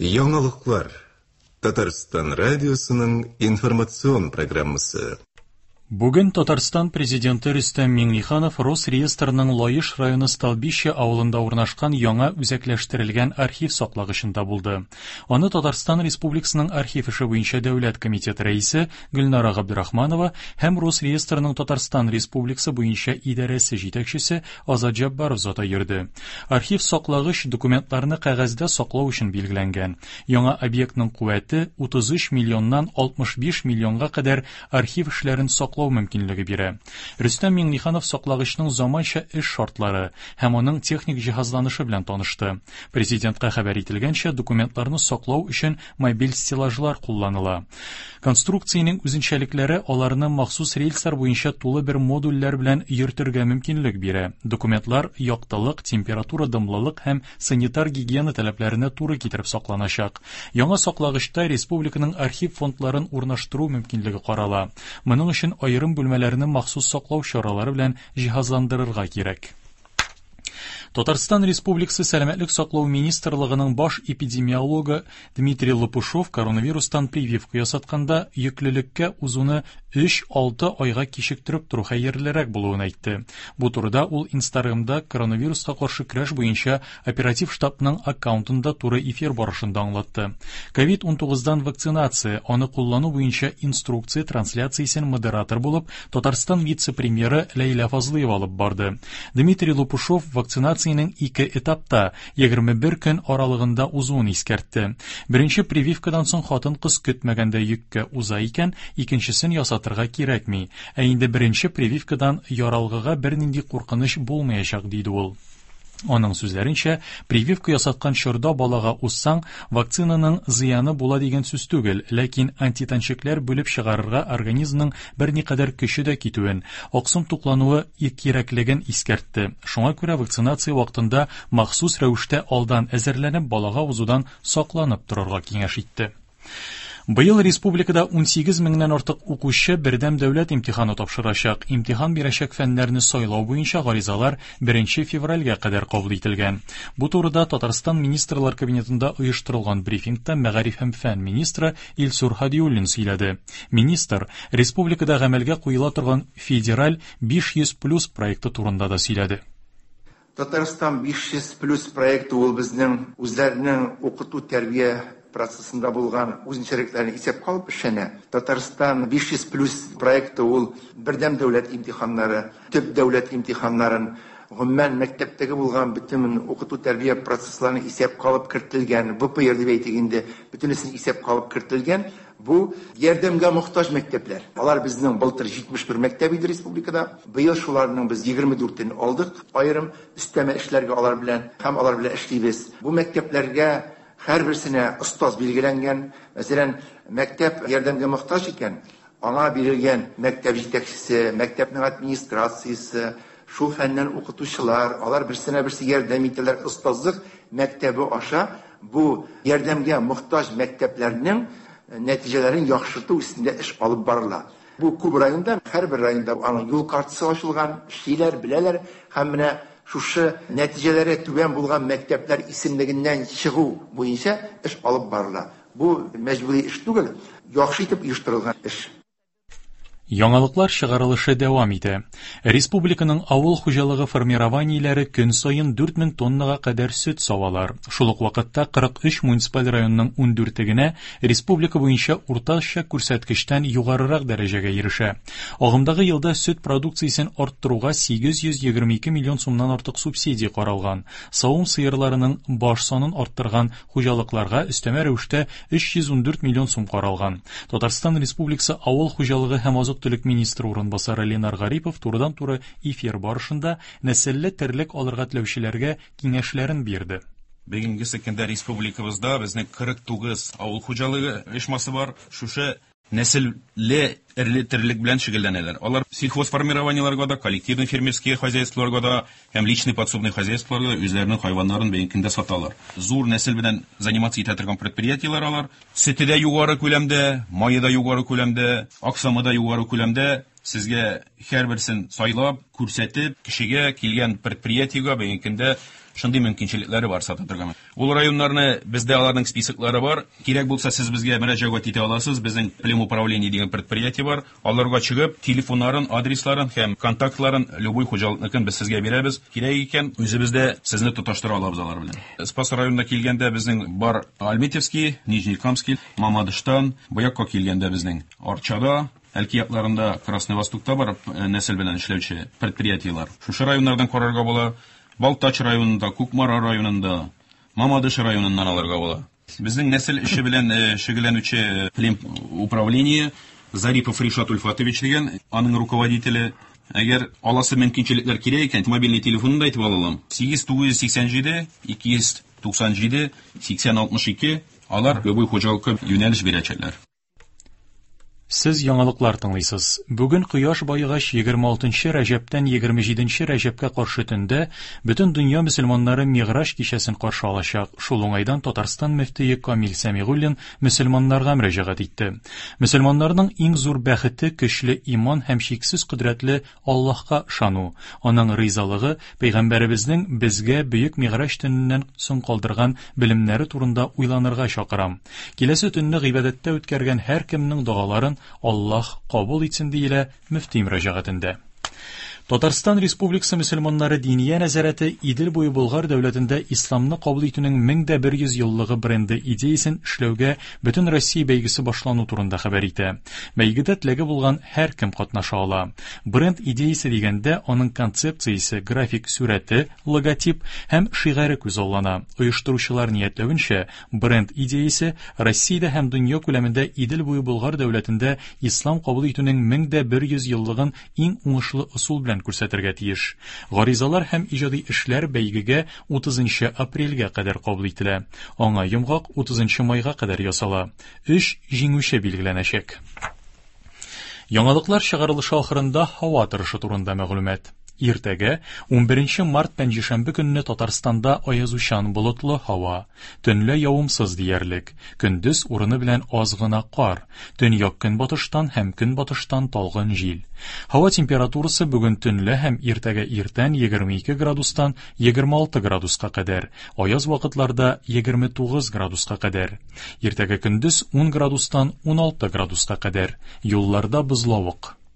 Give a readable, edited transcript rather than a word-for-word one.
Яңалыклар. Татарстан радиосының информацион программасы. Бүген Татарстан Президенты Рөстәм Миңнеханов Росреестрның Лаеш районы Столбище авылында урнашкан яңа үзәкләштерелгән архив саклагычында булды. Аны Татарстан Республикасының архив эше буенча дәүләт комитеты рәисе Гөлнара Габдрахманова һәм Росреестрның Татарстан Республикасы буенча идарәсе җитәкчесе Азат Җаббаров заты йөрде. Архив саклагыч документларны кәгазьдә саклау өчен билгеләнгән. Яңа объектның куәте 33 миллионнан 65 миллионга кадәр архив эшләрен саклау мөмкинлеге бирә. Рөстәм Миңнеханов саклагычның заманча эш шартлары һәм аның техник җиһазланышы белән танышты. Президентка хәбәр ителгәнчә, документларны саклау өчен мобиль стеллажлар кулланыла. Конструкциянең үзенчәлекләре аларны махсус рельслар буенча тулы бер модульләр белән йөртергә мөмкинлек бирә. Документлар яктылык, температура, дымлылык һәм санитар-гигиена таләпләренә туры китереп сакланачак. Яңа саклагычта республиканың архив фондларын урнаштыру мөмкинлеге карала. Моның өчен аерым бүлмәләрне махсус саклау чаралары белән җиһазландырырга кирәк. Татарстан Республикасы Сәламәтлек саклау министрлыгының баш эпидемиологы Дмитрий Лопушов коронавирустан прививка ясатканда йөклелеккә узуны 3-6 айга кичектереп тору хәерлерәк булуын әйтте. Бу турыда ул Инстаграмда коронавируска каршы көрәш буенча оператив штабның аккаунтында туры эфир барышында аңлатты. Ковид-19дан вакцинация, аны куллану буенча инструкция трансляциясен модератор булып Татарстан вице-премьеры Ләйлә Фазлыева алып барды. Дмитрий Лопушов вакцинациянең ике этапта, 21 көн аралыгында узуын искәртте. Беренче прививкадан соң хатын-кыз көтмәгәндә йөккә уза икән, икенчесен ясатырга кирәкми. Ә инде беренче прививкадан яралгыга бернинди куркыныч булмаячак, диде ул. Аның сүзләренчә, прививка ясаткан чорда балага узсаң, вакцинаның зыяны була дигән сүз түгел, ләкин антитәнчекләр бүлеп чыгарырга организмның берникадәр көче дә китүен, аксым туклануы кирәклеген искәртте. Шуңа күрә вакцинация вакытында махсус рәвештә алдан әзерләнеп, балага узудан сакланып торырга киңәш итте. Быел республикада 18 меңнән артык укучы бердәм дәүләт имтиханы тапшырачак. Имтихан бирәчәк фәннәрне сайлау буенча гаризалар 1 февральгә кадәр кабул ителгән. Бу турыда Татарстан Министрлар Кабинетында оештырылган брифингта мәгариф һәм фән министры Илсур Һадиуллин сөйләде. Министр республикада гамәлгә куела торган федераль 500 плюс проекты турында да сөйләде. Татарстан 500 плюс проекты ул безнең үзләренең укыту-тәрбия процессында булган үзенчәлекләрен исәпкә алып эшләнә. Татарстан 500 плюс проекты ул бердәм дәүләт имтиханнары, төп дәүләт имтиханнарын, гомумән мәктәптәге булган бөтен укыту-тәрбия процессларын исәпкә алып кертелгән, ВПР дип әйтик инде, бөтенесен исәпкә алып кертелгән. Бу ярдәмгә мохтаҗ мәктәпләр. Алар безнең былтыр 71 мәктәп иде республикада. Быел шуларның без 24-ен алдык, аерым өстәмә эшләргә алар белән һәм алар белән эшлибез. Бу мәктәпләргә һәрберсенә остаз билгеләнгән. Мәсәлән, мәктәп ярдәмгә мохтаҗ икән, аңа бирелгән мәктәп җитәкчесе, мәктәпнең администрациясе, шул фәннән укытучылар, алар берсенә берсе ярдәм итәләр. Остазлык мәктәбе аша бу ярдәмгә мохтаҗ мәктәпләрнең нәтиҗәләрен яхшырту өстендә эш алып барыла. Бу күп районда, һәрбер районда аның юл картасы ачылган, эшлиләр, беләләр һәм менә шушы нәтиҗәләре түбән булган мәктәпләр исемлегеннән чыгу буенча эш алып барыла. Бу мәҗбүри эш түгел, яхшы итеп оештырылган эш. Яңалыклар чыгарылышы дәвам итә. Республиканың авыл хуҗалыгы формированиеләре көн саен 4000 тоннага кадәр сөт савалар. Шул ук вакытта 43 муниципаль районның 14-е генә республика буенча уртача күрсәткечтән югарырак дәрәҗәгә ирешә. Агымдагы елда сөт продукциясен арттыруга 822 миллион сумнан артык субсидия каралган. Савым сыерларының баш санын арттырган хуҗалыкларга өстәмә рәвештә 314 миллион сум каралган. Татарстан Республикасы Авыл хуҗалыгы һәм азык-төлек министры урынбасары Ленар Гарипов турыдан-туры эфир барышында нәселле терлек алырга теләүчеләргә киңәшләрен бирде. Бүгенге көндә республикабызда безнең 49 авыл хуҗалыгы оешмасы бар. Шушы нәселле эрле терлек белән шөгыльләнәләр. Алар сельхозформированиеларга да, коллективный фермерские хозяйстволарга да һәм личный подсобный хозяйстволарга да үзләренең хайваннарын бүгенге көндә саталар. Зур нәсел белән заниматься итә торган предприятиеләр алар. Сөте дә югары күләмдә, мае да югары күләмдә, аксымы да югары күләмдә. Сезгә һәрберсен сайлап, күрсәтеп, кешегә килгән предприятиегә бүгенге көндә шундый мөмкинчелекләре бар сата торган. Ул районнарны бездә аларның списоклары бар. Кирәк булса, сез безгә мөрәҗәгать итә аласыз. Безнең племуправление дигән предприятие бар. Аларга чыгып, телефоннарын, адресларын һәм контактларын любой хуҗалыкныкын без сезгә бирәбез. Кирәк икән, үзебез дә сезне тоташтыра алабыз алар белән. Спас районына килгәндә безнең бар Альметьевский, Нижнекамский, Мамадыштан, бу якка килгәндә безнең Арчада, Әлки якларында, Красный Востокта бар нәсел белән эшләүче предприятиеләр. Шушы районнардан карарга була. Балтач районында, Кукмара районында, Мамадыш районыннан алырга була. Безнең нәсел эше белән шөгыльләнүче плем управление Зарипов Ришат Ульфатович дигән, аның руководителе. Әгәр аласы мөмкинчелекләр кирәк икән, мобильный телефонын да әйтеп ала алам. 8 987 297 80 62. Алар любой хуҗалыкка юнәлеш бирәчәкләр. Сез яңалыклар тыңлыйсыз. Бүген кояш баегач 26 рәҗәптән 27 рәҗәпкә каршы төндә бөтен дөнья мөселманнары Мигъраҗ кичәсен каршы алачак. Шул уңайдан Татарстан мөфтие Камил Сәмигуллин мөселманнарга мөрәҗәгать итте. Мөселманнарның иң зур бәхете көчле иман һәм чиксез кодрәтле Аллаһка ышану, аның ризалыгы, пәйгамбәребезнең безгә бөек Мигъраҗ төненнән соң калдырган белемнәре турында уйланырга чакырам. Киләсе төнне гыйбадәттә үткәргән һәркемнең догаларын Аллаһ кабул итсен, диелә мөфти мөрәҗәгатендә. Татарстан Республикасы мөселманнары Диния нәзарәте Идел буе Болгар дәүләтендә исламны кабул итүнең 1100 еллыгы бренды идеясен эшләүгә бөтен Россия бәйгесе башлану турында хәбәр итә. Бәйгедә теләге булган һәркем катнаша ала. Бренд идеясе дигәндә аның концепциясе, график сурәте, логотип һәм шигаре күзаллана. Оештыручылар ниятләвенчә, бренд идеясе Россиядә һәм дөнья күләмендә Идел буе Болгар дәүләтендә ислам кабул итүнең 1100 еллыгын иң уңышлы ысул белән күрсәтергә тиеш. Гаризалар һәм иҗади эшләр бәйгегә 30 апрельгә кадәр кабул ителә. Аңа йомгак 30 майга кадәр ясала. Өч җиңүче билгеләнәчәк. Яңалыклар чыгарылышы ахырында һава торышы турында мәгълүмат. Иртәгә 11 март пәнҗешәмбе көнне Татарстанда аязучан болытлы һава, төнлә явымсыз диярлек, көндез урыны белән аз гына кар, төньяк көнбатыштан һәм көнбатыштан талгын җил. Һава температурасы бүген төнлә һәм иртәгә иртән 22 градустан 26 градуска кадәр, аяз вакытларда 29 градуска кадәр. Иртәгә көндез 10 градустан 16 градуска кадәр. Юлларда бозлавык.